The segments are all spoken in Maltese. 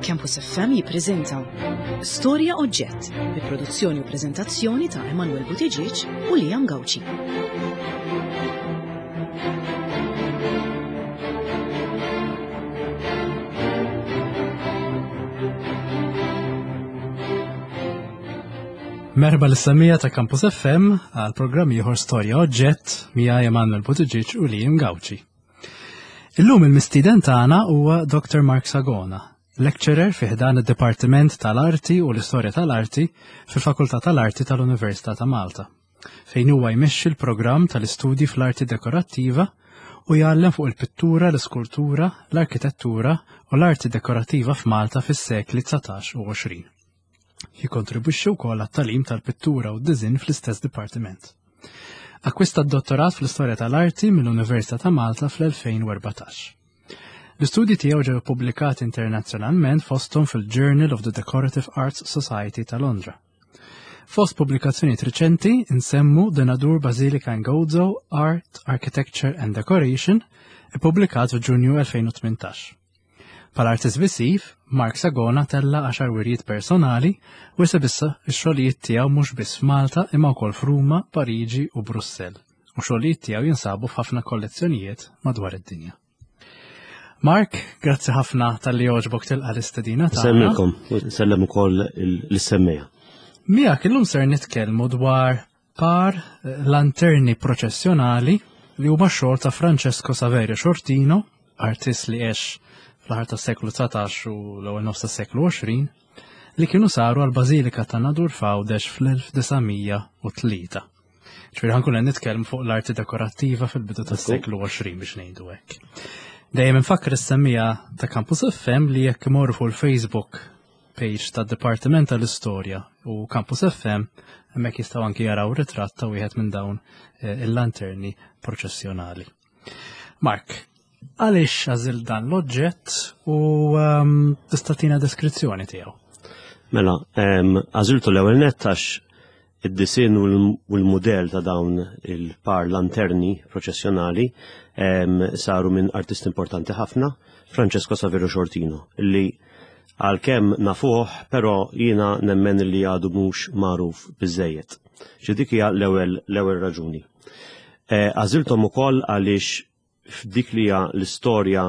Campus FM jippreżenta Storja Oġġett bi produzzjoni u preżentazzjoni ta' Emanuel Buttigieg u Liam Gauci. Merħba l-semija ta' Campus FM għal programm ieħor Storja Oġġett miegħi Emanuel Buttigieg u Liam Gauci. Illum il-mistieden tagħna huwa Dr. Mark Sagona, lecturer fi ħdan id-Dipartiment tal-Arti u l-Istorja tal-Arti fil-Fakultà tal-Arti tal-Università ta' Malta, fejn huwa jmexxi l-programm tal-istudji fl-arti dekorattiva u jgħallem fuq il-pittura, l-iskultura, l-arkitettura u l-arti dekorattiva f'Malta fis-sekli 19 u 20. Jikkontribwixxi wkoll għat-tagħlim tal-pittura u d-diżinn fl-istess dipartiment. Akkwista d-dottorat fl-Istorja tal-Arti mill-Università ta' Malta fl-2014. L-istudji tiegħu ġew ippubblikati internazzjonalment fosthom fil-Journal of the Decorative Arts Society ta' Londra. Fost pubblikazzjonijiet riċenti nsemmu The Nadur Basilica in Gozo, Art, Architecture and Decoration, ippubblikat f'Ġunju 2018. Bħala artist visiv, Mark Sagona tella għaxar wirjiet personali u esebissa x-xogħlijiet tiegħu mhux biss f'Malta imma wkoll f'Ruma, Pariġi u Brussell. U xogħlijiet tiegħu jinsabu f'ħafna kollezzjonijiet madwar id-dinja. Mark, grazzi ħafna tal-li għoġbok tilqa l-istedina tagħna. Semmilkom, sellem ukoll l-semmija. Miegħek illum ser nitkellmu dwar par lanterni proċessjonali li huma xogħol ta' Francesco Saverio Shortino, artist li għex fl-aħħar tas-seklu 19 u l-ewwel nofs tas-seklu 20, li kienu saru għal Bażilika ta' Nadur f'Għawdex fl-1903. Ġifieri ħankun qed nitkellmu fuq l-arti dekorattiva fil-bidu tas-seklu 20 biex ngħidu hekk. Dejjem infakkar is-semmija ta' Campus FM li jekk imorru fuq il-Facebook page tad-Dipartiment tal-Istorja u Campus FM hemmhekk jistgħu anki jaraw ritratt ta' wieħed minn dawn eh, il-lanterni proċessjonali. Mark, għaliex għażil dan l-oġġett u ehm, tista' tina deskrizzjoni tiegħu? Mela, ehm, għażiltu l-ewwel nett għax id-disinn u l-mudell ta' dawn il-par lanterni proċessjonali saru minn artist importanti ħafna, Francesco Saverio Shortino, li għalkemm nafuh, però jiena nemmen li għadu mhux magħruf biżejjed. Ġi dik hija l-ewwel l-ewwel raġuni. Eh, għażilthom ukoll għaliex f'dik li hija l-istorja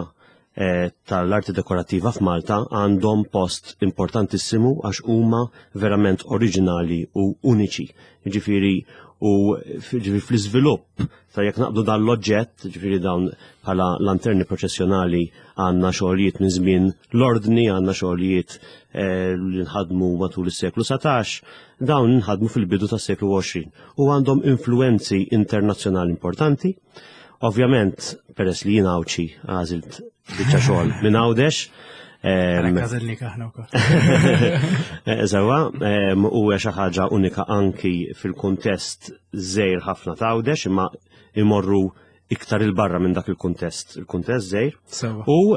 eh, tal-arti dekorattiva f'Malta għandhom post importantissimu għax huma verament oriġinali u uniċi. Ġifieri u ġifieri fl-iżvilupp ta' jekk naqbdu dan l-oġġett, ġifieri dawn bħala lanterni proċessjonali għandna xogħlijiet minn żmien l-ordni, għandna xogħlijiet eh, li nħadmu matul is-seklu 17, dawn nħadmu fil-bidu tas-seklu 20 u għandhom influenzi internazzjonali importanti. Ovvjament, peress li jien Għawdxi għażilt biċċa xogħol minn Għawdex. Għażilnik aħna wkoll. Eh, Sewa, u xi ħaġa unika anki fil-kuntest żgħir ħafna ta' Għawdex imma imorru iktar il-barra minn dak il-kuntest, il-kuntest żgħir. U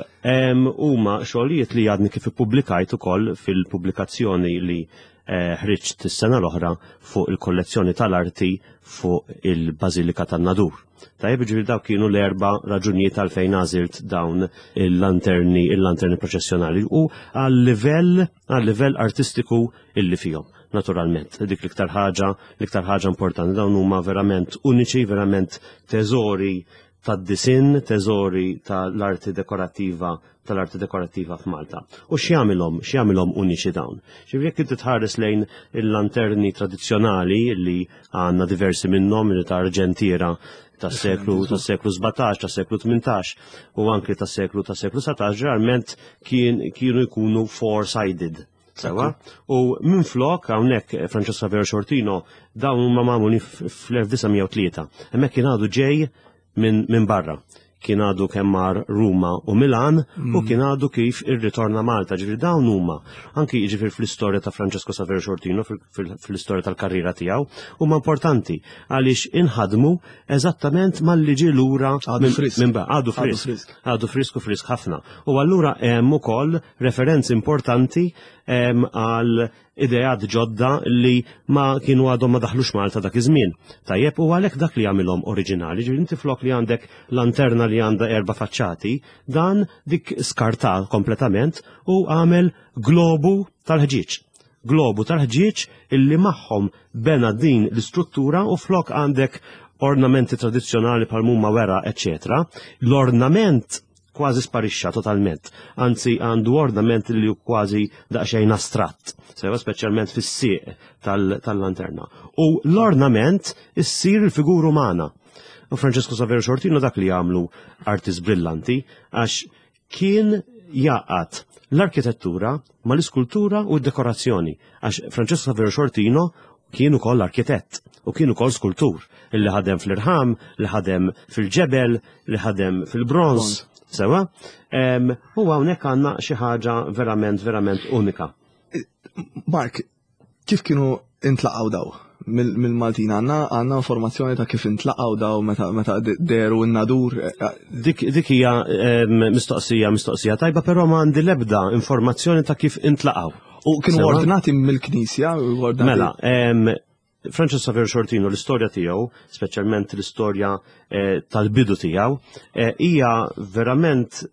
huma xogħlijiet li għadni kif ippubblikajt ukoll fil-pubblikazzjoni li eh, ħriġt is-sena l-oħra fuq il-kollezzjoni tal-arti fuq il-Bażilika tan-Nadur. Tajjeb ġifieri dawk kienu l-erba' raġunijiet għalfejn għażilt dawn il-lanterni, il-lanterni proċessjonali u għal-livell għal-livell artistiku illi fihom. Naturalment, dik l-iktar ħaġa, l-iktar ħaġa importanti dawn huma verament uniċi, verament teżori tad-disinn, teżori tal-arti dekorattiva tal-arti dekorattiva f'Malta. U x'jagħmilhom, x'jagħmilhom uniċi dawn? Ġifieri jekk inti tħares lejn il-lanterni tradizzjonali li għandna diversi minnhom li ta' Arġentiera tas-seklu tas-seklu 17, tas-seklu 18 u anke tas-seklu tas-seklu 19 ġeneralment kien kienu jkunu four-sided. Sewa? U minn flok hawnhekk eh, Francesca Vera Shortino dawn huma magħmulin fl-1903. Hemmhekk kien għadu ġej minn min barra. Kien għadu kemm mar Ruma u Milan u kien għadu kif irritorna Malta. Ġifieri dawn huma anki ġifieri fl-istorja ta' Francesco Saverio Shortino fl-istorja tal-karriera tiegħu huma importanti għaliex inħadmu eżattament malli ġie lura minn għadu frisk. Għadu frisk u frisk ħafna. U allura hemm ukoll referenzi importanti għal. ideat ġodda li ma kienu għadhom ma daħlux Malta dak iż-żmien. Tajjeb u għalhekk dak li jagħmilhom oriġinali, ġifieri inti flok li għandek lanterna li għandha erba' faċċati, dan dik skarta kompletament u għamel globu tal-ħġieġ. Globu tal-ħġieġ illi magħhom bena din l-istruttura u flok għandek ornamenti tradizzjonali bħal mumma wera, eccetera. L-ornament kważi sparixxa totalment, anzi għandu ornament li hu kważi daqsxejn astratt, sewa speċjalment fis-sieq tal-lanterna. U l-ornament issir il-figura umana. U Francesco Saverio Xortino dak li għamlu artist brillanti għax kien jaqat l-arkitettura mal-iskultura u d-dekorazzjoni. Għax Francesco Saverio Xortino kien ukoll arkitett u kien ukoll skultur illi ħadem fl-irħam, li ħadem fil-ġebel, li ħadem fil-bronz, sewa. U hawnhekk għandna xi ħaġa verament verament unika. Mark, kif kienu intlaqgħu daw mill-Maltin għandna għandna informazzjoni ta' kif intlaqgħu daw meta meta deru n-nadur. Eh, eh. Dik dik hija mistoqsija mistoqsija tajba, però ma għandi l-ebda informazzjoni ta' kif intlaqgħu. U kienu ordnati mill-Knisja? Mela, Francis Xavier Xortino l-istorja tiegħu, speċjalment l-istorja eh, tal-bidu tiegħu, eh, hija verament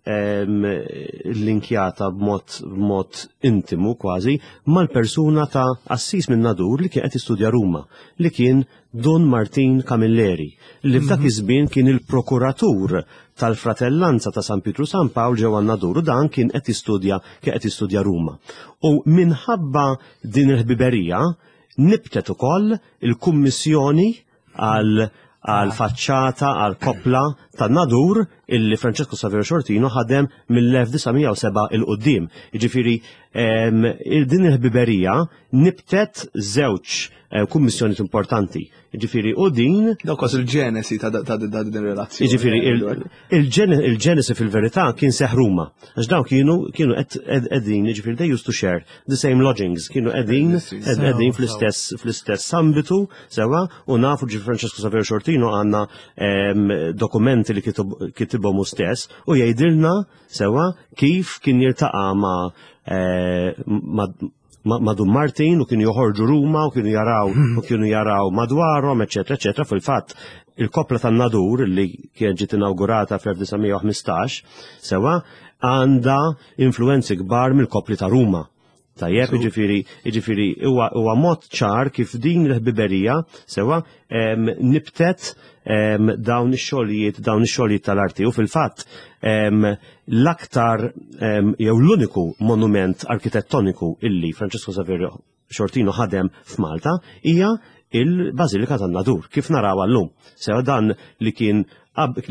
linkjata b'mod b'mod intimu kważi mal-persuna ta' Assis minn Nadur li kien qed jistudja Ruma, li kien Dun Martin Camilleri, li f'dak mhm. iż-żmien kien il-prokuratur tal-Fratellanza ta' San Pietru San Pawl ġewwa Nadur u dan kien qed jistudja kien qed jistudja Ruma. U minħabba din il-ħbiberija nibtet ukoll il-kummissjoni għal għal faċċata għal koppla ta' Nadur illi Francesco Saverio Xortino ħadem mill-1907 il-qoddim. Jiġifieri din il-ħbiberija nibtet żewġ eh, kummissjonijiet importanti. Ġifieri u din. Dawk kważi il-ġenesi ta' din relazzjoni. Ġifieri il-ġenesi fil-verità kien seħ Ruma. Għax dawn kienu kienu qegħdin, ġifieri they used to share the same lodgings, kienu qegħdin qegħdin fl-istess fl-istess ambitu sewa u nafu ġi Francesco Saverio Xortino għandna ehm, dokumenti li kitibhom hu stess u jgħidilna sewa kif kien jiltaqa' ma' eh, ma' Dun Martin u kienu joħorġu Ruma u kienu jaraw hmm. u kienu jaraw madwarhom, eċetera, eċetera. Fil-fatt, il-kopla tan-Nadur li kienet ġiet inaugurata fl-1915, sewa għandha influenzi kbar mill-kopli ta' Ruma. Tajjeb, jiġifieri, jiġifieri huwa mod ċar kif din l-ħbiberija sewa nibtet dawn ix-xogħlijiet dawn ix-xogħlijiet tal-arti u fil-fatt l-aktar jew l-uniku monument arkitettoniku illi Francesco Saverio Xortino ħadem f'Malta hija il-Bażilika tan-Nadur, kif naraw llum. Sewa dan li kien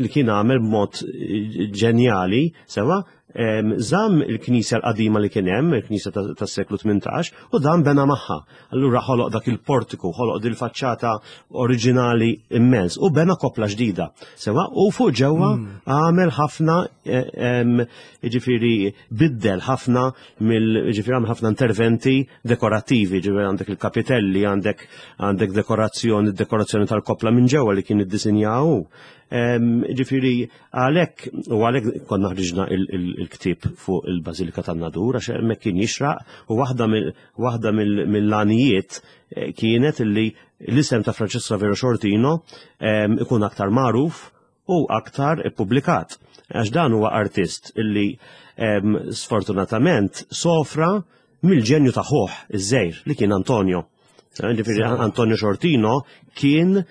li kien għamel b'mod eh, ġenjali, sewa żamm il-knisja l-qadima li kien hemm, il-knisja tas-seklu 18, u dan bena magħha. Allura ħoloq dak il-portiku, ħoloq dil faċċata oriġinali immens u bena kopla ġdida. Sewa u fuq ġewwa hmm. għamel ħafna jiġifieri biddel ħafna mill jiġifieri għamel ħafna interventi dekorattivi, ġifieri għandek il-kapitelli, għandek għandek dekorazzjoni, dekorazzjoni tal-kopla minn ġewwa li kien iddisinjaw. Ġifieri Għalhekk, u għalhekk konna ħriġna il-ktieb fuq il-Bażilika tan-Nadur għax hemmhekk kien jixraq u waħda mill-għanijiet eh, kienet illi l-isem ta' Francesco Savero Xortino ehm, ikun aktar magħruf u aktar ippubblikat. Għax dan huwa artist illi ehm, sfortunatament sofra mill-ġenju ta' ħuh iż-żejr li kien Antonio. Ġifieri Antonio Xortino kien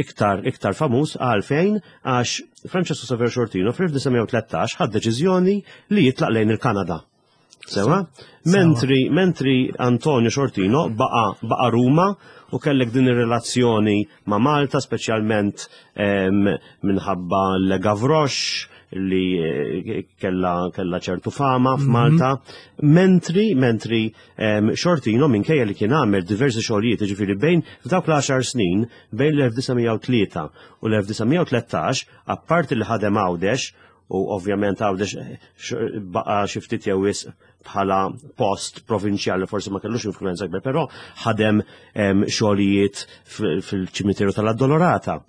iktar iktar famuż għalfejn għax Francesco Saver Xortino fl-1913 ħad deċiżjoni li jitlaq lejn il-Kanada. Sewa? Mentri, mentri Antonio Xortino baqa, baqa Ruma u kellek din ir-relazzjoni ma' Malta, speċjalment minħabba l-Gavroche li eh, kella, kella ċertu fama mhm. f'Malta. Mm -hmm. Mentri, mentri Xortino minkejja li kien għamel diversi xogħlijiet, ġifieri bejn f'dawk l-10 snin bejn l-1903 u l-1913, apparti li ħadem Għawdex, u ovvjament Għawdex eh, baqa xi ftit jew wisq bħala post provinċjali forsi ma kellux influenza kbir, però ħadem xogħlijiet fil-ċimiteru tal-Addolorata,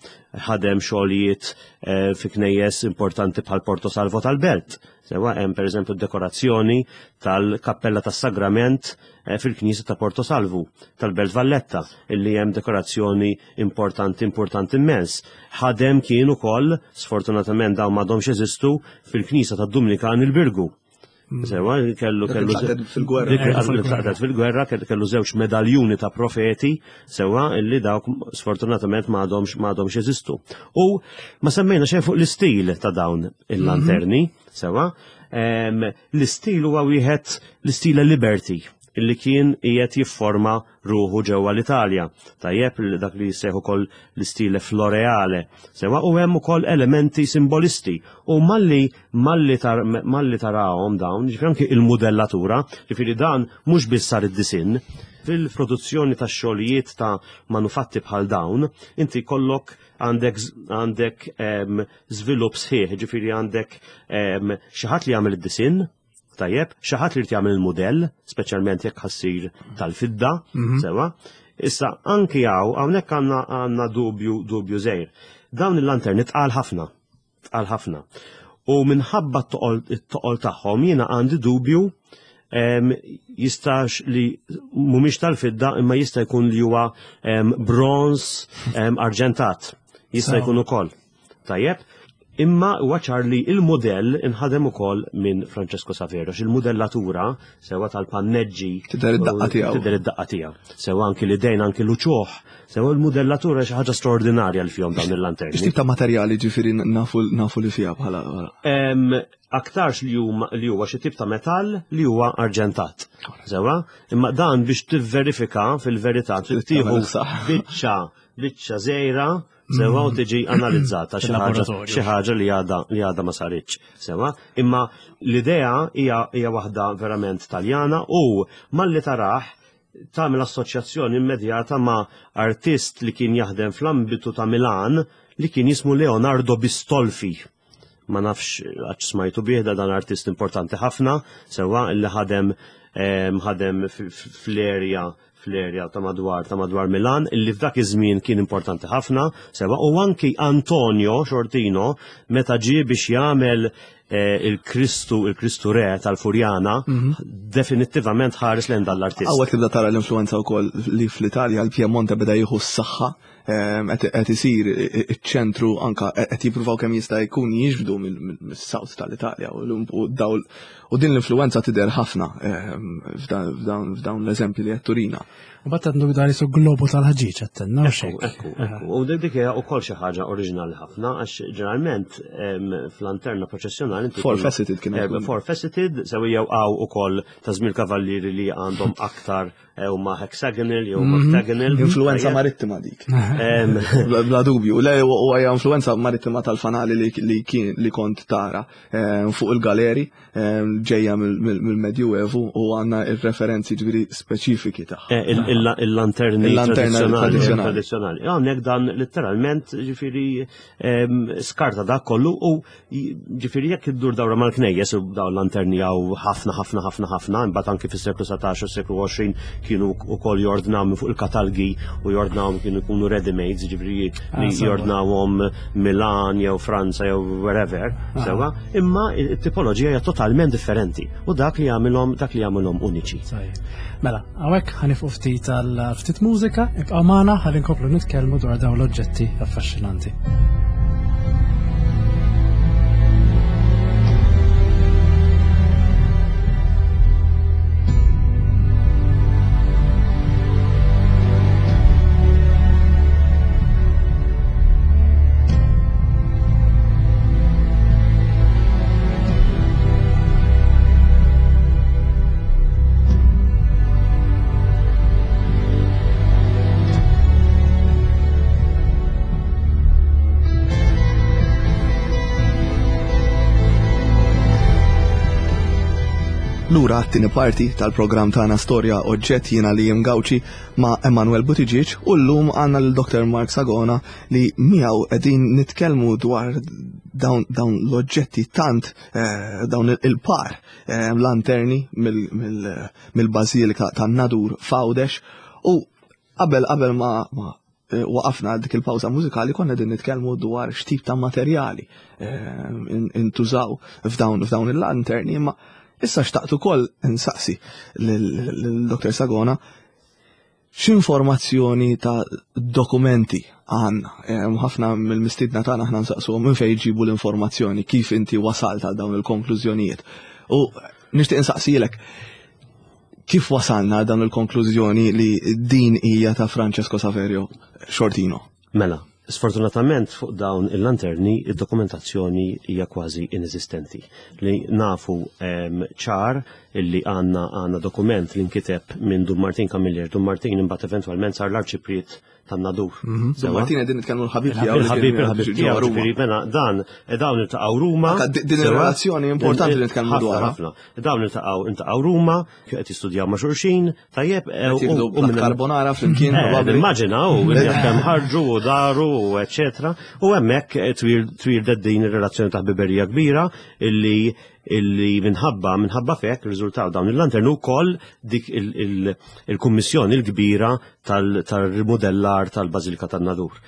ħadem xogħlijiet eh, fi knejjes importanti bħal Porto Salvo tal-Belt. Sewa hemm pereżempju dekorazzjoni tal-Kappella tas-Sagrament eh, fil-Knisja ta' Porto Salvu tal-Belt Valletta, illi hemm dekorazzjoni importanti importanti immens. Ħadem kien ukoll, sfortunatament dawn m'għadhomx jeżistu, fil-Knisja tad-Dumnikan il-Birgu. Mm. Sewa, kellu kellu fil-gwerra. Tlaqtet fil-gwerra, kellu żewġ medaljuni ta' profeti, sewa, illi dawk sfortunatament m'għadhomx m'għadhomx jeżistu. U ma semmejna xejn fuq l-istil ta' dawn il-lanterni, mhm. sewa, l-istil huwa wieħed l-istile Liberty illi kien qiegħed jifforma ruħu ġewwa l-Italja. Tajjeb dak li jissejħu ukoll l-istile floreale. Sewa u hemm ukoll elementi simbolisti u malli malli tar, malli tarahom dawn, ġifieri anki il-mudellatura, ġifieri dan mhux biss sar id-disinn, fil-produzzjoni ta' xogħlijiet ta' manufatti bħal dawn, inti kollok għandek għandek żvilupp sħiħ, ġifieri għandek xi ħadd li jagħmel id-disinn, Tajjeb, xi ħadd li jrid jagħmel il-mudell, speċjalment jekk ħassir tal-fidda, mhm. sewa. Issa anki hawn hawnhekk għandna għandna dubju dubju żgħir. Dawn il-lanterni tqal ħafna, tqal ħafna. U minħabba t-toqol tagħhom jiena għandi dubju jistax li mhumiex tal-fidda imma jista' jkun li huwa bronz arġentat. Jista' jkun ukoll. Tajjeb, imma huwa ċar li il-mudell inħadem ukoll minn Francesco Saverio, il-mudellatura sewa tal-panneġġi. Tidher id-daqqa tiegħu. Tidher id-daqqa tiegħu. Sewa anki l-idejn anki l-uċuħ, sewa l-mudellatura xi ħaġa straordinarja li fihom dawn il-lanterni. X'tip ta' materjali ġifieri nafu li fiha bħala? Aktarx li huwa xi tip ta' metall li huwa arġentat. Sewa, imma dan biex tivverifika fil-verità trid tieħu biċċa biċċa żgħira Sewa u tiġi analizzata xi ħaġa xi ħaġa li għadha li għadha ma saritx. Sewa, imma l-idea hija hija waħda verament Taljana u malli tarah tagħmel assoċjazzjoni immedjata ma' artist li kien jaħdem fl-ambitu ta' Milan li kien jismu Leonardo Bistolfi. Ma nafx għax smajtu bih da dan artist importanti ħafna, sewa illi ħadem ħadem fl-erja fl-erja ta' madwar ta' madwar Milan illi f'dak iż-żmien kien importanti ħafna, sewa u anki Antonio Xortino meta ġie biex jagħmel eh, il-Kristu il-Kristu Re tal-Furjana mhm. definittivament ħares lejn dan l-artist. Hawnhekk tibda tara l-influenza wkoll li fl-Italja l-Piemonte beda jieħu s-saħħa ehm, qed isir iċ-ċentru anka qed jippruvaw kemm jista' jkun jiġbdu mis-South tal-Italja u dawl U din l-influenza tidher ħafna ehm, f'dawn l-eżempji li qed turina. U bat għandu dan jisu globu tal-ħġiġ għattenna. Ekku, ekku. U dik hija wkoll xi ħaġa oriġinali ħafna għax ġeneralment ehm, fl-anterna proċessjonali. Four faceted kien. Eh, four faceted, sew jew għaw ukoll ta' żmien kavallieri li għandhom aktar eh, huma hexagonal jew mhm. octagonal. Influenza marittima dik. Bla dubju. Le u hija influenza marittima tal-fanali li kien li kont tara. Eh, fuq il-galeri eh, ġejja mill-Medjuevu u għandna il-referenzi ġviri speċifiki tagħha. Eh, il-lanterni tradizzjonali. Hawnhekk dan letteralment ġifieri ehm, skarta dak kollu u ġifieri jekk iddur dawra mal-knejjes u dawn lanterni hawn ħafna ħafna ħafna ħafna, imbagħad anki fis-seklu 17 u seklu 20 kienu wkoll jordnaw minn fuq il-katalgi u jordnawhom kienu jkunu ready made, ġifieri ah, li jordnawhom Milan jew Franza jew wherever, ah. sewa, imma it-tipoloġija hija totalment differenti u dak li jagħmilhom dak li jagħmilhom uniċi. Mela, hawnhekk ħanifqu ftit għal ftit mużika, ibqa' magħna ħalli nkomplu nitkellmu dwar dawn l-oġġetti affaxxinanti. Lura għat-tieni parti tal-programm tagħna Storja Oġġett jiena li Gawċi ma' Emanuel Buttigieg u llum għandna lil Dr. Mark Sagona li miegħu qegħdin nitkellmu dwar dawn l-oġġetti tant eh, dawn il-par eh, lanterni mill-Bażilika tan-Nadur f'Għawdex u qabel qabel ma eh, waqafna dik il-pawża mużikali konna din nitkellmu dwar x'tip ta' materjali intużaw f'dawn f'dawn il-lanterni imma issa xtaqt ukoll insaqsi lil Dr. Sagona X'informazzjoni ta' dokumenti għandna? Ħafna mill-mistiedna tagħna aħna nsaqsuhom minn fejn jġibu l-informazzjoni, kif inti wasalt għal dawn il-konklużjonijiet. U nixtieq insaqsilek kif wasalna għal dawn il-konklużjoni li din hija ta' Francesco Saverio Sciortino? Mela, sfortunatament fuq dawn il-lanterni id-dokumentazzjoni hija kważi ineżistenti. Li nafu ċar illi għandna għandna dokument li nkiteb minn Dun Martin Camilleri. Dun Martin imbagħad eventwalment sar l-arċipriet tan-Nadur. Mhm. Dun Martin qegħdin nitkellmu l-ħabib tiegħu. Il-ħabib il-ħabib tiegħu ġifieri mela dan eh, dawn iltaqgħu Ruma. Din ir-relazzjoni importanti li nitkellmu dwar. Ħafna. Dawn iltaqgħu iltaqgħu Ruma, qed jistudjaw ma' xulxin, Tajjeb, eh, u minn karbonara flimkien. Eh, immaġina, u kemm ħarġu u daru u eccetera. U hemmhekk eh, twir din ir-relazzjoni ta' ħbiberija kbira illi illi minħabba minħabba fek riżultaw dawn il-lantern ukoll dik il-kummissjoni l-kbira tal-rimodellar tal-Bażilika tan-Nadur.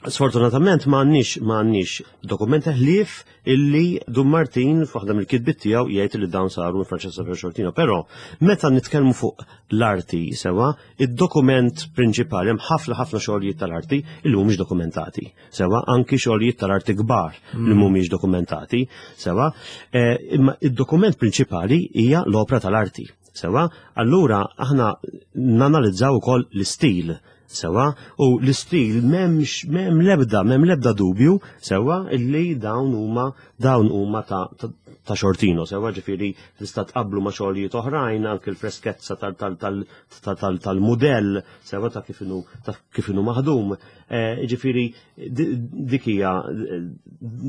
Sfortunatament ma għandniex ma għandniex dokumenti ħlief illi Dun Martin f'waħda mill-kitbiet tiegħu jgħid li dawn saru minn Francesco Ferro Però meta nitkellmu fuq l-arti sewa, id-dokument prinċipali hemm ħafna ħafna xogħlijiet tal-arti illi mhumiex dokumentati. Sewa, anki xogħlijiet tal-arti kbar li mm. mhumiex dokumentati. Sewa, eh, imma id-dokument prinċipali hija l-opra tal-arti. Sewa, allura aħna nanalizzaw ukoll l-istil Sewwa, u l-istil m'hemmx m'hemm l-ebda m'hemm l-ebda dubju sewwa illi dawn huma dawn huma ta' ta' Xortino sewwa ġifieri tista' tqabblu ma' xogħlijiet oħrajn anke l-freskezza tal-mudell sewwa ta' kif inhu ta' kif inhu maħdum. Eh, ġifieri dik hija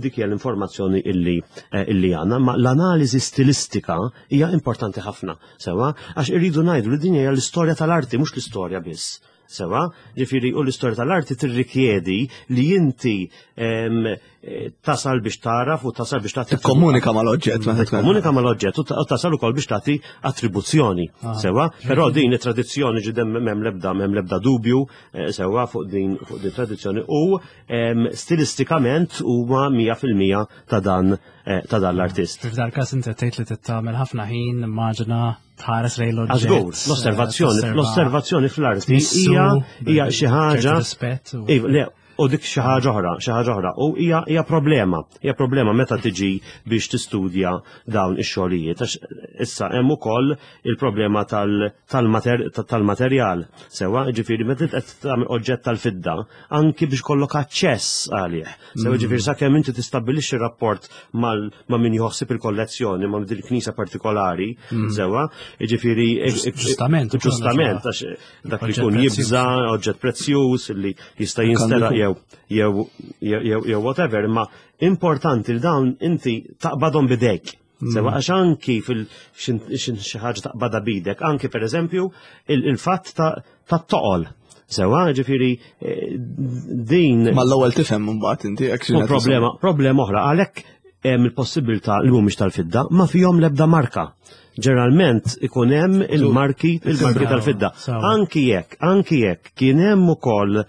dik hija l-informazzjoni illi eh, illi għandna, ma l-analiżi stilistika hija importanti ħafna. Sewa, għax irridu ngħidu li din hija l-istorja tal-arti mhux l-istorja biss. Sewa, ġifieri u l-istorja tal-arti tirrikjedi li inti eh, tasal biex taraf u tasal biex tagħti. Komunika mal-oġġett, meta Komunika mal-oġġett u tasal ukoll biex tagħti attribuzzjoni. Ah. Sewa, però din it-tradizzjoni ġidem m'hemm lebda m'hemm lebda dubju eh, sewa fuq din fuq din tradizzjoni u stilistikament huma 100% ta' dan eh, ta' dan l-artist. F'dal każ inti tgħid li tagħmel ħafna ħin, immaġina tħares lejn l-oġġett. Żgur, l-osservazzjoni, l-osservazzjoni fl-arti hija hija xi ħaġa. Iva, le, u dik xi ħaġa oħra, xi ħaġa oħra. U hija hija problema, hija problema meta tiġi biex tistudja dawn ix-xogħlijiet. Għax issa hemm ukoll il-problema tal-materjal. Sewa, ġifieri meta qed tagħmel oġġett tal-fidda, anki biex kollok aċċess għalih. Sewa mm. ġifieri sakemm inti tistabbilixxi rapport ma' min joħsib il-kollezzjoni ma' din il-knisja partikolari, mm. sewa, ġifieri ġustament, ġustament għax dak li jkun jibża oġġett prezzjuż li jista' jinsteraq jew jew jew whatever, imma importanti li dawn inti taqbadhom bidejk. Mm. Sewa għax anki fil xi ħaġa taqbada bidek, anki per eżempju il-fatt ta' toqol. Sewa, ġifiri, eh, din. Ma l-ewwel tifhem mbagħad inti hekk Problema, problema oħra, għalhekk hemm il-possibilità li mhumiex tal-fidda, ma fihom l-ebda marka. Ġeneralment ikun hemm il-marki il-marki tal-fidda. Anki jekk, anki jekk kien hemm ukoll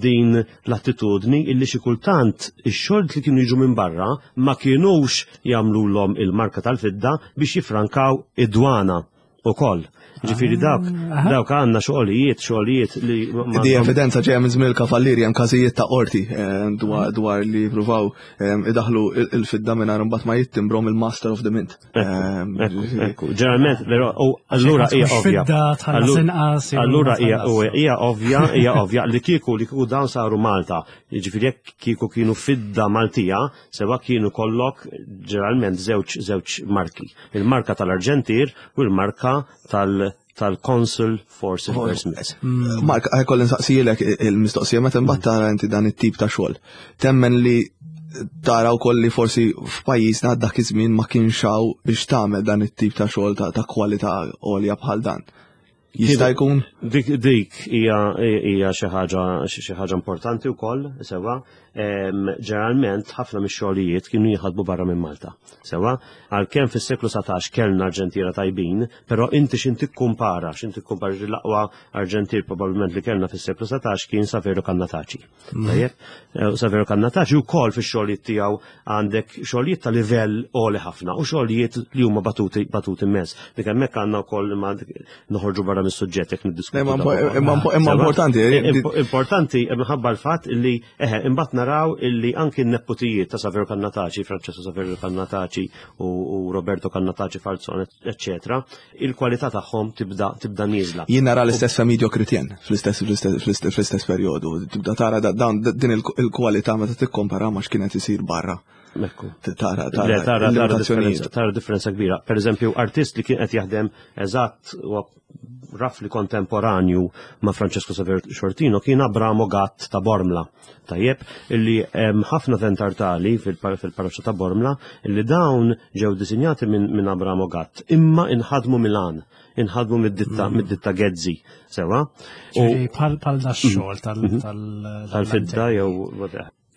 din l-attitudni illi xi kultant ix-xogħol li kienu jiġu minn barra ma kinux jagħmlulhom il-marka tal-fidda biex jifrankaw id-dwana ukoll. Ġifieri ah, dawk dawk għandna xogħlijiet, xogħlijiet li. Di evidenza ġejja minn żmien il-kavallieri hemm każijiet ta' qorti eh, dwar li jippruvaw eh, idaħlu il-fidda mingħajr imbagħad ma jittimbrom il-Master of the Mint. Ekku, ġeneralment, però, u allura hija ovvja. Allura hija ovvja, hija ovvja li kieku li kieku dawn saru Malta, jiġifieri jekk kieku kienu fidda Maltija, sewa kienu kollok ġeneralment żewġ żewġ marki. Il-marka tal-Arġentir u l-marka tal- tal-Consul for Silversmiths. Mm. Mark, ħajkolli nsaqsijilek il-mistoqsija meta mbagħad tara inti dan it-tip ta' xogħol. Temmen li tara wkoll li forsi f'pajjiżna dak iż-żmien ma kienx hawn biex tagħmel dan it-tip ta' xogħol ta' kwalità għolja bħal dan. Jista' jkun? Dik dik hija hija xi ħaġa xi ħaġa importanti wkoll, sewwa. Ġeneralment ħafna mix-xogħlijiet kienu jinħadmu barra minn Malta. Sewwa, għalkemm fis-seklu 19 kellna arġentiera tajbin, però inti x'in tikkumpara, x'in tikkumpara l-aqwa arġentier probabbilment li kellna fis-seklu 19 kien Saverio Cannataci. Tajjeb, eh, Saverio Cannataci wkoll fix-xogħlijiet tiegħu għandek xogħlijiet ta' livell għoli ħafna u xogħlijiet li huma batuti batuti immens. Dik hemmhekk għandna wkoll imma noħorġu barra mis-suġġett jekk niddiskutu. Imma importanti. Eh, importanti eh, minħabba l-fatt li eħe imbagħad naraw illi anki n-nepotijiet ta' Saverio Cannataci, Francesco Saverio Cannataci u Roberto Cannataci Falzone, eccetera, il-kwalità tagħhom tibda tibda nieżla. Jien nara l-istess Femidio Kritjen fl-istess fl-istess perjodu. Tibda tara dan din il-kwalità meta tikkompara ma x'kienet isir barra. Ekku. Tara tara tara differenza kbira. Per eżempju, artist li kien qed jaħdem eżatt rafli kontemporanju ma' Francesco Saver Xortino kien Abramo Gatt ta' Bormla. Tajjeb, illi hemm ħafna ventartali fil-parroċċa ta' Bormla illi dawn ġew disinjati minn Abramo Gatt, imma inħadmu Milan, inħadmu mid-ditta mm. mid-ditta Gezzi, sewa. Bħal bħal da xogħol mhm. tal mhm. tal-fidda jew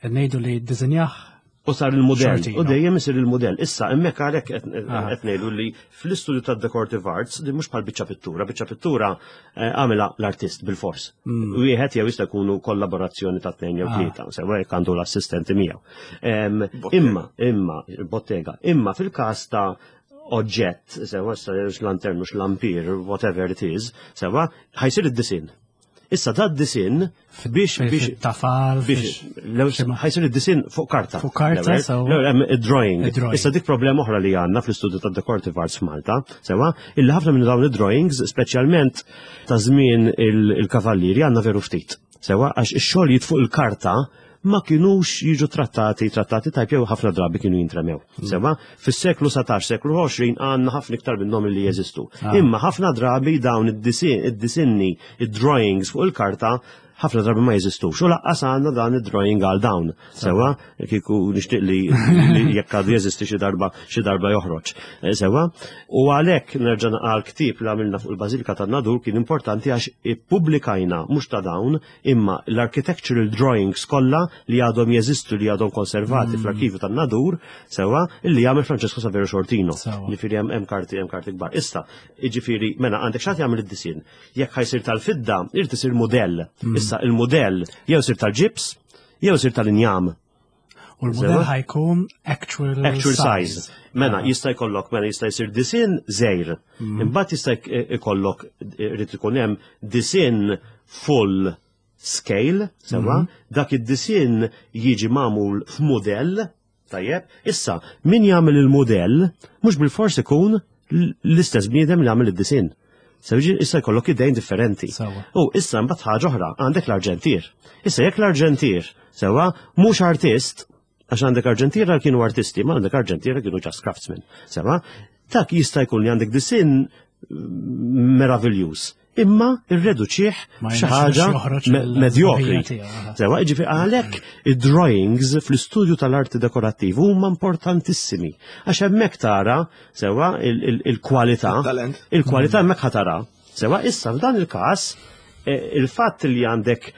Ngħidu li ddisinjah U sar il-modell. U dejjem isir il-modell. Issa, hemmhekk għalhekk ah. qed ngħidu li fl-istudju tad-decorative arts li mhux bħal biċċa pittura, biċċa pittura eh, għamilha l-artist bil-fors. Mm. Wieħed jew jista' jkunu kollaborazzjoni ta' tnejn jew ah. tlieta, sewa jekk għandu l-assistenti miegħu. Imma, imma, bottega, imma fil-każ ta' oġġett, sewa lantern mhux lampir, whatever it is, sewa ħajsir id-disin. Issa da d-disin biex biex tafal biex ħajsir id-disin fuq karta. Fuq karta sewa. Drawing. Issa dik problema oħra li għandna fl-istudju ta' decorative arts f'Malta, sewa, illi ħafna minn dawn id-drawings, speċjalment ta' żmien il-kavallieri għandna veru ftit. Sewa, għax ix-xogħol fuq il-karta ma kinux jiġu trattati, trattati tajb jew ħafna drabi kienu jintremew. Mm. Sewa, fis-seklu 17, seklu 20 għandna ħafna iktar minnhom li jeżistu. Ah. Imma ħafna drabi dawn id-disinni, id-drawings fuq il-karta ħafna drabi ma jeżistux. U laqqas għandna dan id-drawing għal dawn. Sewa, kieku nixtieq li jekk għadu jeżisti xi darba xi darba joħroġ. Eh, sewa, u għalhekk nerġa' għal ktieb li għamilna fuq il-Bażilika tan-Nadur kien importanti għax ippubblikajna mhux ta' dawn imma l-architectural drawings kollha li għadhom jeżistu li għadhom konservati mm. fl-arkivju tan-Nadur sewwa illi jagħmel Francesco Saverio Shortino. Ġifieri hemm karti hemm karti kbar. Issa, jiġifieri mela għandek x'għad jagħmel id-disinn. Jekk ħajsir tal-fidda, irid isir mudell. Mm. Issa il-mudell jew isir tal-ġibs, jew isir tal-injam. U l-modell ħajkun actual, actual size. size. Mela, ah. jista' jkollok, mela jista' jsir disin żejr. Mm. Imbagħad jista' jkollok irid ikun hemm disin full scale, sewa, mm. dak id-disin jiġi magħmul f'mudell, tajjeb. Issa, min jagħmel il-mudell mhux bil-fors ikun l-istess bniedem li għamel id-disin. Sewġi issa jkollok idejn differenti. U issa mbagħad ħaġa oħra, għandek l-arġentier. Issa jekk l-arġentier sewa mhux artist, għax għandek arġentiera kienu artisti, ma għandek arġentiera kienu just craftsmen. Sewa, dak jista' jkun li għandek disin meraviljuż imma irreduċih xi ħaġa medjokri. Sewa, ġifi għalhekk id-drawings fl-istudju tal-arti dekorattiv huma importantissimi. Għax hemmhekk tara sewa il-kwalità, il-kwalità hemmhekk ħatara. Sewa issa f'dan il-każ eh, il-fatt li għandek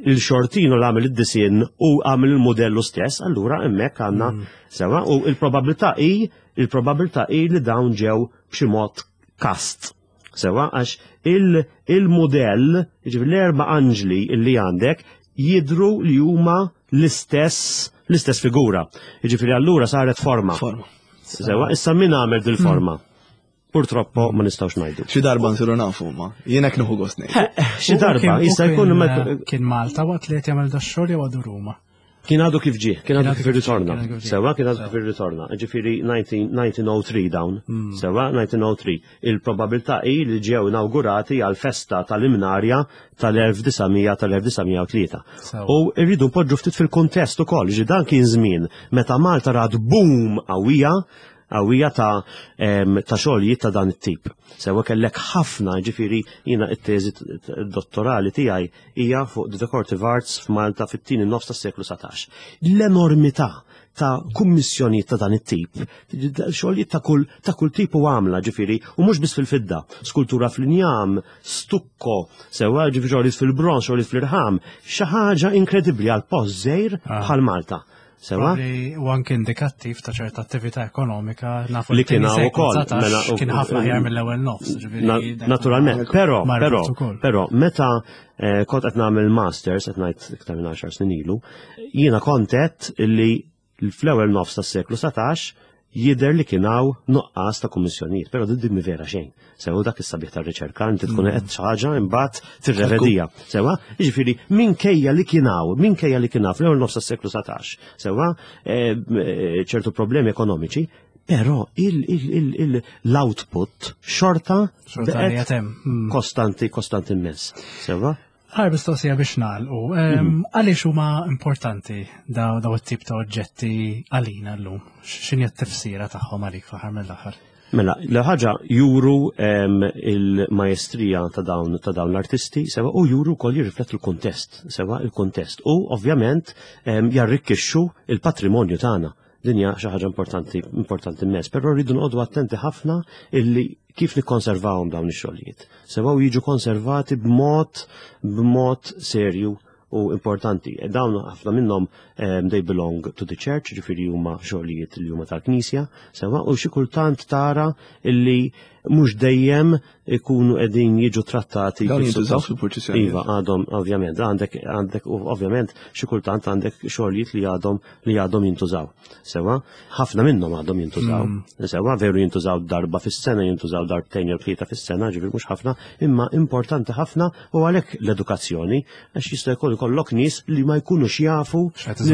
il-xortino l għamil id-disin u għamil il-modellu stess, allura hemmhekk għandna mm. sewa u il-probabilità hi il-probabilità hi li dawn ġew b'xi mod kast. Sewa, għax il-modell, ġifieri l-erba' anġli li għandek jidru li huma l-istess l-istess figura. Ġifieri allura saret forma. Forma. Sewa, issa min għamel dil-forma? Hmm. Purtroppo ma nistgħux ngħidu. Xi darba nsiru nafu ma, jien hekk nieħu gost ngħid. Xi darba jista' jkun eh, kien Malta waqt li qed jagħmel dax-xogħol jew għadu Ruma. Kien għadu kif ġie, kien għadu kif irritorna. Sewa, kien għadu kif irritorna. Ġifieri 1903 dawn. Hmm. Sewa, 1903. Il-probabilità hi li ġew inaugurati għal festa tal-imnarja tal-1900 tal-1903. U rridu npoġġu ftit fil-kuntest ukoll, ġi dan kien żmien meta Malta rat boom qawwija. qawwija ta' ta' xogħlijiet ta' dan it-tip. Sewa kellek ħafna, ġifieri jiena t-teżi dottorali tiegħi hija fuq the decorative arts f'Malta fit-tieni nofs tas-seklu 19. L-enormità ta' kummissjonijiet ta' dan it-tip, xogħlijiet ta' kull ta' kull tip u għamla, ġifieri, u mhux biss fil-fidda, skultura fl-injam, stukko, sewa ġifieri xogħlijiet fil-bronż, xogħlijiet fl-irħam, xi ħaġa inkredibbli għal post żgħir ah. bħal Malta. Sewa? U anke indikattiv ta' ċerta attività ekonomika nafu li kien hawn ukoll. Mela, kien ħafna ħjar mill-ewwel nofs. Naturalment, però, però, però meta eh, kont qed nagħmel masters qed ngħid iktar minn 10 snin ilu, jiena kont qed li fl-ewwel nofs tas-seklu 19 jidher li kien hawn nuqqas ta' kummissjonijiet, però din mi vera xejn. Sewa dak is-sabiħ tar-riċerka, inti tkun mm. qed xi ħaġa imbagħad tirrevedija. Sewa, jiġifieri minkejja li kien hawn, minkejja li kien hawn fl-ewwel nofs tas-seklu 19, sewa eh, eh, ċertu problemi ekonomiċi, però l-output xorta mm. kostanti, kostanti immens. Sewa? Ħar mistoqsija biex nagħlqu. Mhm. Għaliex huma importanti daw daw it-tip ta' oġġetti għalina llum? X'inhi t-tifsira tagħhom għalik fl-aħħar mill-aħħar? Mela, l-ħaġa juru il-majestrija ta' dawn ta' dawn l-artisti, sewa u juru wkoll jirriflettu l-kuntest, sewa il-kuntest. U ovvjament jarrikkixxu il-patrimonju tagħna. Din hija xi ħaġa importanti importanti immens, però rridu noqogħdu attenti ħafna illi kif nikkonservawhom dawn ix-xogħlijiet. Sewa jiġu konservati b'mod b'mod serju u importanti. E dawn ħafna minnhom um, they belong to the church, ġifieri huma xogħlijiet li huma tal-Knisja, sewa u xi kultant tara illi mhux dejjem ikunu qegħdin jiġu trattati. Dawn jintużaw fil-purċissjoni. Iva, għadhom ovvjament, għandek għandek ovvjament xi kultant għandek xogħlijiet li għadhom li għadhom jintużaw. Sewa, ħafna minnhom għadhom jintużaw. Mm. Sewa, veru jintużaw darba fis-sena, jintużaw darbtejn jew tlieta fis-sena, ġifieri mhux ħafna, imma importanti ħafna u għalhekk l-edukazzjoni għax jista' jkun ikollok nies li ma jkunux jafu x'qed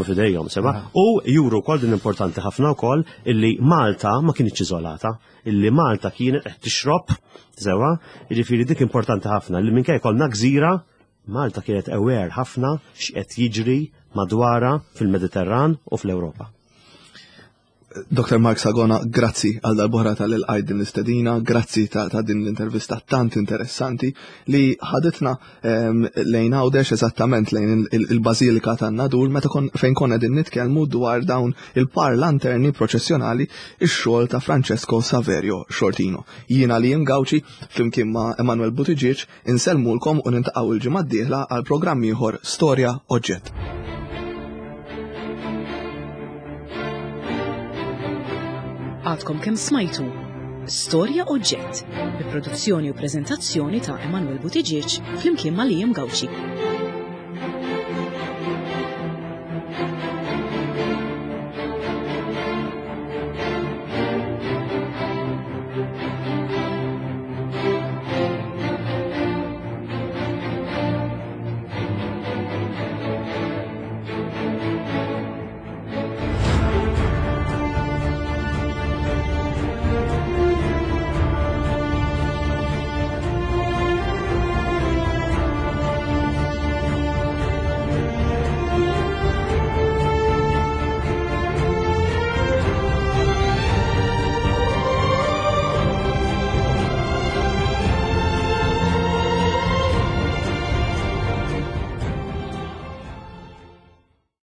fidejhom, sewa. Ah. U juru wkoll din importanti ħafna wkoll illi Malta ma kienx iżolata illi Malta kienet qed tixrob sewa, jiġifieri dik importanti ħafna li minkejja konna gżira Malta kienet aware ħafna x'qed jiġri madwarha fil-Mediterran u fl-Ewropa. Dr. Mark Sagona, grazzi għal darb'oħra tal-ilqajt din l-istedina, grazzi ta', ta din l-intervista tant interessanti li ħaditna ehm, lejn Għawdex eżattament lejn il-Bażilika tan-Nadur meta fejn konna din nitkellmu dwar dawn il-par lanterni proċessjonali ix-xogħol ta' Francesco Saverio Sciortino. Jiena li Gawċi flimkien ma' Emanuel Buttigieg insellmulkom u nintaqgħu il-ġimgħa d-dieħla għal programm ieħor Storja Oġġett. Għadkom kemm smajtu Storja Oġġett bi produzzjoni u preżentazzjoni ta' Emanuel Buttigieg flimkien ma' Liam Gauci.